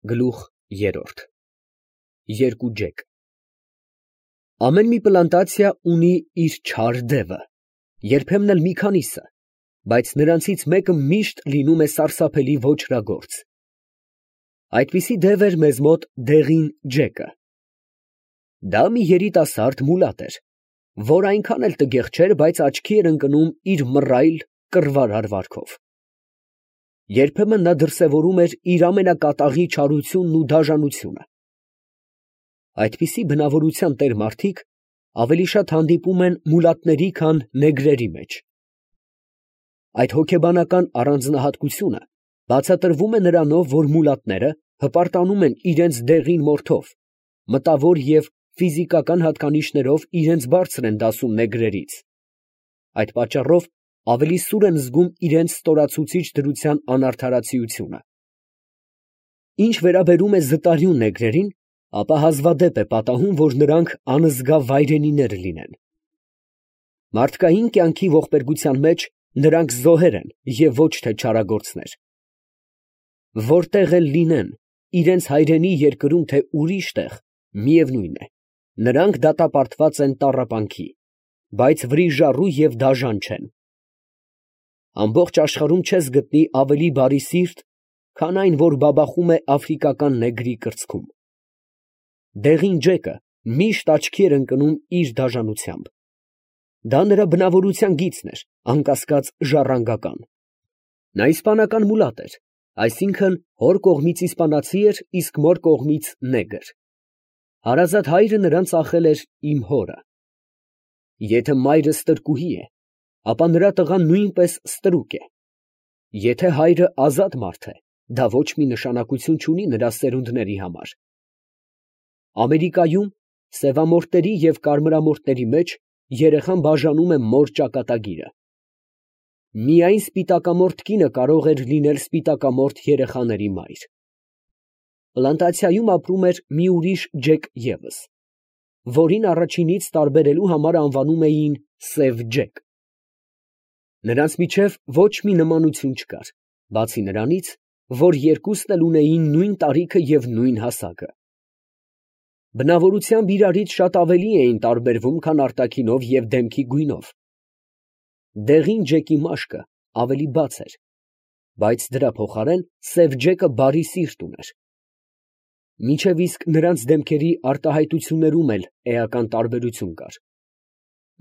Գլուխ երրորդ Երկու ջեկ Ամեն մի պլանտացիա ունի իր չար դևը, երբեմն էլ մի քանիսը, բայց նրանցից մեկը միշտ լինում է սարսափելի ոճրագործ։ Այդպիսի դև էր մեզ մոտ դեղին ջեկը։ Դա մի երիտասարդ մուլատ էր, որ այնքան էլ տգեղ չէր, բայց աչքի էր ընկնում իր մռայլ, կռվարար վարքով։ Երբեմն նա դրսևորում էր իր ամենակատաղի չարությունն ու դաժանությունը։ Այդպիսի բնավորության տեր մարդիկ ավելի շատ հանդիպում են մուլատների, քան նեգրերի մեջ։ Այդ հոգեբանական առանձնահատկությունը բացատրվում է նրանով, որ մուլատները հպարտանում են իրենց դեղին մորթով, մտավոր և ֆիզիկական հատկանիշներով իրենց բարձր են դասում նեգրերից, այդ պատճառով ավելի սուր են զգում իրենց ստորացուցիչ դրության անարդարացիությունը։ Ինչ վերաբերում է զտարյուն նեգրերին, ապա հազվադեպ է պատահում, որ նրանք անզգա վայրենիներ լինեն։ Մարդկային կյանքի ողբերգության մեջ նրանք զոհեր են և ոչ թե չարագործներ։ Որտեղ էլ լինեն, իրենց հայրենի երկրում, թե ուրիշ տեղ, միևնույն է, նրանք դատապարտված են տառապանքի, բայց վրիժառու և դաժան չեն։ Ամբողջ աշխարհում չես գտնի ավելի բարի սիրտ, քան այն, որ բաբախում է աֆրիկական նեգրի կրծքում։ Դեղին ջեկը միշտ աչքի էր ընկնում իր դաժանությամբ։ Դա նրա բնավորության գիծն էր, անկասկած ժառանգական։ Նա իսպանական մուլատ էր, այսինքն հոր կողմից իսպանացի էր, իսկ մոր կողմից նեգր։ Հարազատ հայրը նրան ծախել էր իմ հորը։ Եթե մայրը ստրկուհի է, ապա նրա տղան նույնպես ստրուկ է։ Եթե հայրը ազատ մարդ է, դա ոչ մի նշանակություն չունի նրա սերունդների համար։ Ամերիկայում սևամորթների և կարմրամորթների մեջ երեխան բաժանում է մոր ճակատագիրը։ Միայն սպիտակամորթ կինը կարող էր լինել սպիտակամորթ երեխաների մայր։ Պլանտացիայում ապրում էր մի ուրիշ ջեկ ևս, որին առաջինից տարբերելու համար անվանում էին սև ջեկ։ Նրանց միջև ոչ մի նմանություն չկար, բացի նրանից, որ երկուսն էլ ունեին նույն տարիքը և նույն հասակը։ Բնավորությամբ իրարից շատ ավելի էին տարբերվում, քան արտաքինով և դեմքի գույնով։ Դեղին ջեկի մաշկը ավելի բաց էր, բայց դրա փոխարեն սև ջեկը բարի սիրտ ուներ։ Մինչև իսկ նրանց դեմքերի արտահայտություններում էլ էական տարբերություն կար։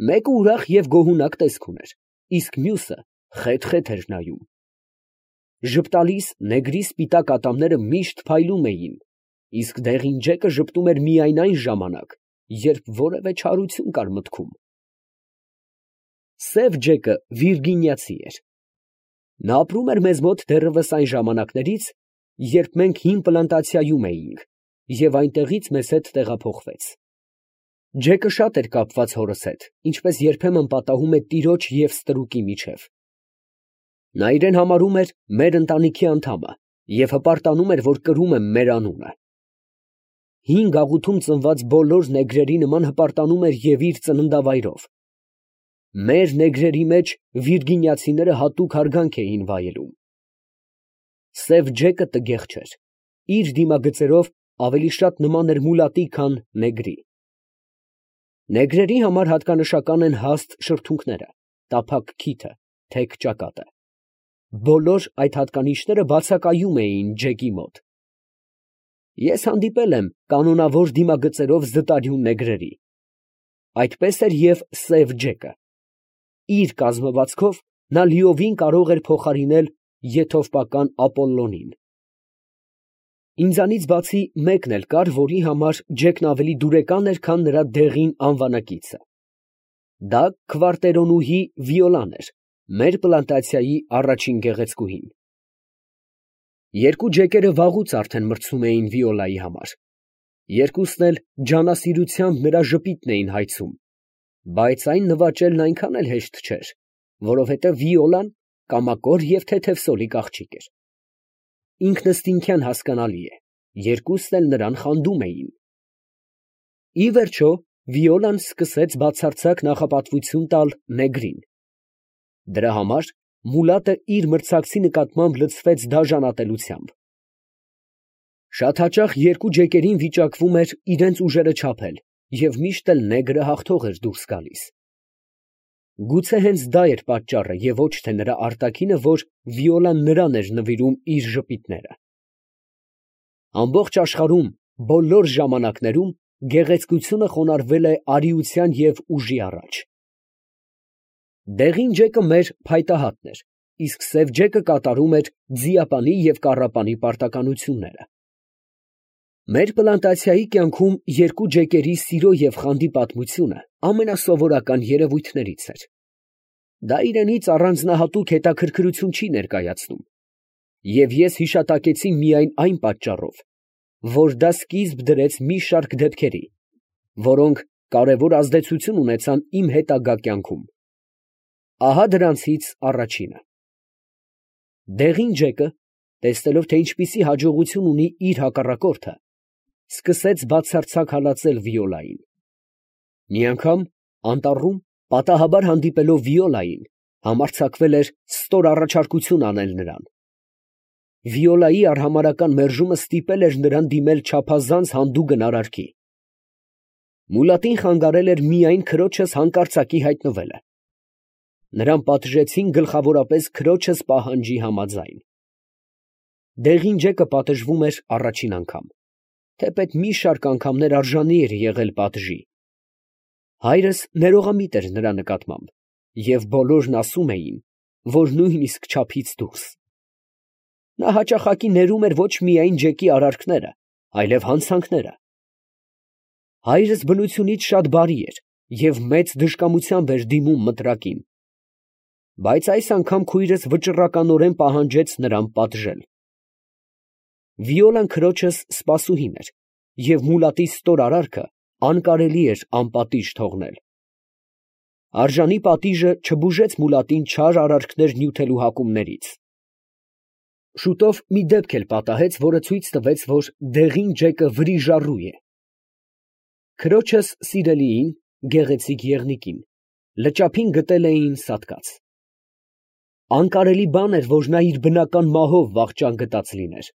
Մեկը ուրախ և գոհունակ տեսք ուներ, իսկ մյուսը խեթ֊խեթ էր նայում։ Ժպտալիս նեգրի սպիտակ ատամները միշտ փայլում էին, իսկ դեղին ջեկը ժպտում էր միայն այն ժամանակ, երբ որևէ չարություն կար մտքում։ Սև ջեկը վիրգինիացի էր։ Նա ապրում էր մեզ մոտ դեռևս այն ժամանակներից, երբ մենք հին պլանտացիայում էինք, և այնտեղից մեզ հետ տեղափոխվեց։ Ջեկը շատ էր կապված հորս հետ, ինչպես երբեմն պատահում է տիրոջ և ստրուկի միջև։ Նա իրեն համարում էր մեր ընտանիքի անդամը և հպարտանում էր, որ կրում է մեր անունը։ Հին գաղութում ծնված բոլոր նեգրերի նման հպարտանում էր և իր ծննդավայրով։ Մեր նեգրերի մեջ վիրգինիացիները հատուկ հարգանք էին վայելում։ Սև ջեկը տգեղ չէր, իր դիմագծերով ավելի շատ նման էր մուլատի, քան նեգրի։ Նեգրերի համար հատկանշական են հաստ շրթունքները, տափակ քիթը, թեք ճակատը։ Բոլոր այդ հատկանիշները բացակայում էին ջեկի մոտ։ Ես հանդիպել եմ կանոնավոր դիմագծերով զտարյուն նեգրերի։ Այդպես էր և սև ջեկը։ Իր կազմվածքով նա լիովին կարող էր փոխարինել եթովպական Ապոլլոնին։ Ինձանից բացի մեկն էլ կար, որի համար ջեկն ավելի դուրեկան էր, քան նրա դեղին անվանակիցը։ Դա քվարտերոնուհի Վիոլան էր, մեր պլանտացիայի առաջին գեղեցկուհին։ Երկու ջեկերը վաղուց արդեն մրցում էին Վիոլայի համար։ Երկուսն էլ ջանասիրությամբ նրա ժպիտն էին հայցում, բայց այն նվաճելն այնքան էլ հեշտ չէր, որովհետև Վիոլան կամակոր և թեթևսոլիկ աղջիկ էր։ Ինքնըստինքյան հասկանալի է, երկուսն էլ նրան խանդում էին։ Ի վերջո, Վիոլան սկսեց բացարձակ նախապատվություն տալ նեգրին։ Դրա համար մուլատը իր մրցակցի նկատմամբ լցվեց դաժանատելությամբ։ Շատ հաճախ երկու ջեկերին վիճակվում էր իրենց ուժերը չափել, և միշտ էլ նեգրը հաղթող էր դուրս գալիս։ Գուցե հենց դա էր պատճառը, և ոչ թե նրա արտաքինը, որ Վիոլան նրան էր նվիրում իր ժպիտները։ Ամբողջ աշխարհում, բոլոր ժամանակներում գեղեցկությունը խոնարհվել է արիության և ուժի առաջ։ Դեղին ջեկը մեր փայտահատն էր, իսկ սև ջեկը կատարում էր ձիապանի և կառապանի պարտականությունները։ Մեր պլանտացիայի կյանքում երկու ջեկերի սիրո և խանդի պատմությունը ամենասովորական երևույթներից էր։ Դա իրենից առանձնահատուկ հետաքրքրություն չի ներկայացնում, և ես հիշատակեցի միայն այն պատճառով, որ դա սկիզբ դրեց մի շարք դեպքերի, որոնք կարևոր ազդեցություն ունեցան իմ հետագա կյանքում։ Ահա դրանցից առաջինը. դեղին ջեկը, տեսնելով, թե ինչպիսի հաջողություն ունի իր հակառակորդը, սկսեց բացարձակ հալածել Վիոլային։ Մի անգամ անտառում պատահաբար հանդիպելով Վիոլային, համարձակվել էր ստոր առաջարկություն անել նրան։ Վիոլայի արհամարհական մերժումը ստիպել էր նրան դիմել չափազանց հանդուգն արարքի։ Մուլատին խանգարել էր միայն քրոջս հանկարծակի հայտնվելը։ Նրան պատժեցին գլխավորապես քրոջս պահանջի համաձայն։ Դեղին ջեկը պատժվում էր առաջին անգամ, թեպետ մի շարք անգամներ արժանի էր եղել պատժի։ Հայրս ներողամիտ էր նրա նկատմամբ, և բոլորն ասում էին, որ նույնիսկ չափից դուրս։ Նա հաճախակի ներում էր ոչ միայն ջեկի արարքները, այլև հանցանքները։ Հայրս բնությունից շատ բարի էր և մեծ դժկամությամբ էր դիմում մտրակին, բայց այս անգամ քույրս վճռականորեն պահանջեց նրան պատժել։ Վիոլան քրոջս սպասուհին էր, և մուլատի ստոր արարքը անկարելի էր անպատիժ թողնել։ Արժանի պատիժը չբուժեց մուլատին չար արարքներ նյութելու հակումներից։ Շուտով մի դեպք էլ պատահեց, որը ցույց տվեց, որ դեղին ջեկը վրիժառու է։ Քրոջս սիրելիին, գեղեցիկ եղնիկին, լճափին գտել էին սատկած։ Անկարելի բան էր, որ նա իր բնական մահով վախճան գտած լիներ։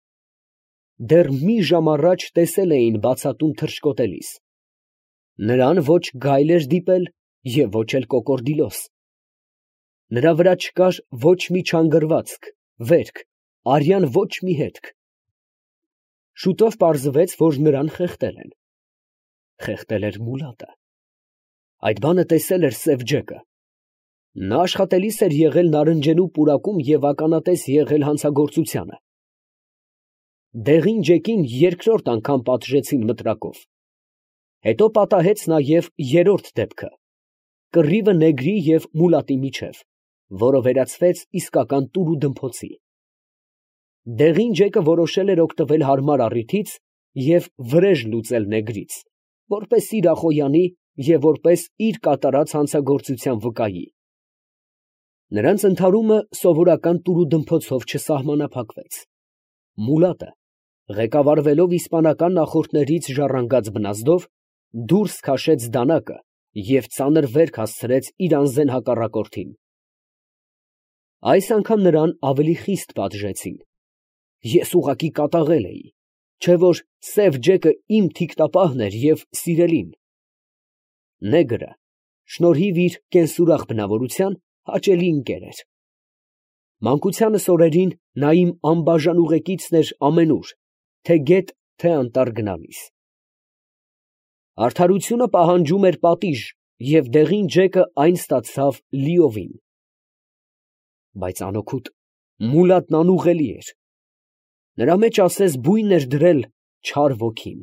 Դեռ մի ժամ առաջ տեսել էին բացատում թռչկոտելիս։ Նրան ոչ գայլ էր դիպել և ոչ էլ կոկորդիլոս։ Նրա վրա չկար ոչ մի չանգրվածք, վերք, արյան ոչ մի հետք։ Շուտով պարզվեց, որ նրան խեղդել են։ Խեղդել էր մուլատը։ Այդ բանը տեսել էր սև ջեկը։ Նա աշխատելիս էր եղել նարնջենու պուրակում և ականատես եղել հանցագործությանը։ Դեղին ջեկին երկրորդ անգամ պատժեցին մտրակով։ Հետո պատահեց նաև երրորդ դեպքը, կռիվը նեգրի և մուլատի միջև, որը վերածվեց իսկական տուրուդմփոցի։ Դեղին ջեկը որոշել էր օգտվել հարմար առիթից և վրեժ լուծել նեգրից, որպես իր ախոյանի և որպես իր կատարած հանցագործության վկայի։ Նրանց ընդհարումը սովորական տուրուդմփոցով չսահմանափակվեց։ Մուլատը, ղեկավարվելով իսպանական նախորդներից ժառանգած բնազդով, դուրս քաշեց դանակը և ծանր վերք հասցրեց իր անզեն հակառակորդին։ Այս անգամ նրան ավելի խիստ պատժեցին։ Ես ուղղակի կատաղել էի, չէ՞ որ սև ջեկը իմ թիկնապահն էր և սիրելին։ Նեգրը, շնորհիվ իր կենսուրախ բնավորության, հաճելի ընկեր էր։ Մանկությանս օրերին նա իմ անբաժան ուղեկիցն էր ամենուր, թե՛ գետ, թե՛ անտառ գնալիս։ Արդարությունը պահանջում էր պատիժ, և դեղին ջեկը այն ստացավ լիովին։ Բայց անօգուտ մուլատն անուղղելի էր։ Նրա մեջ ասես բույն էր դրել չար ոգին։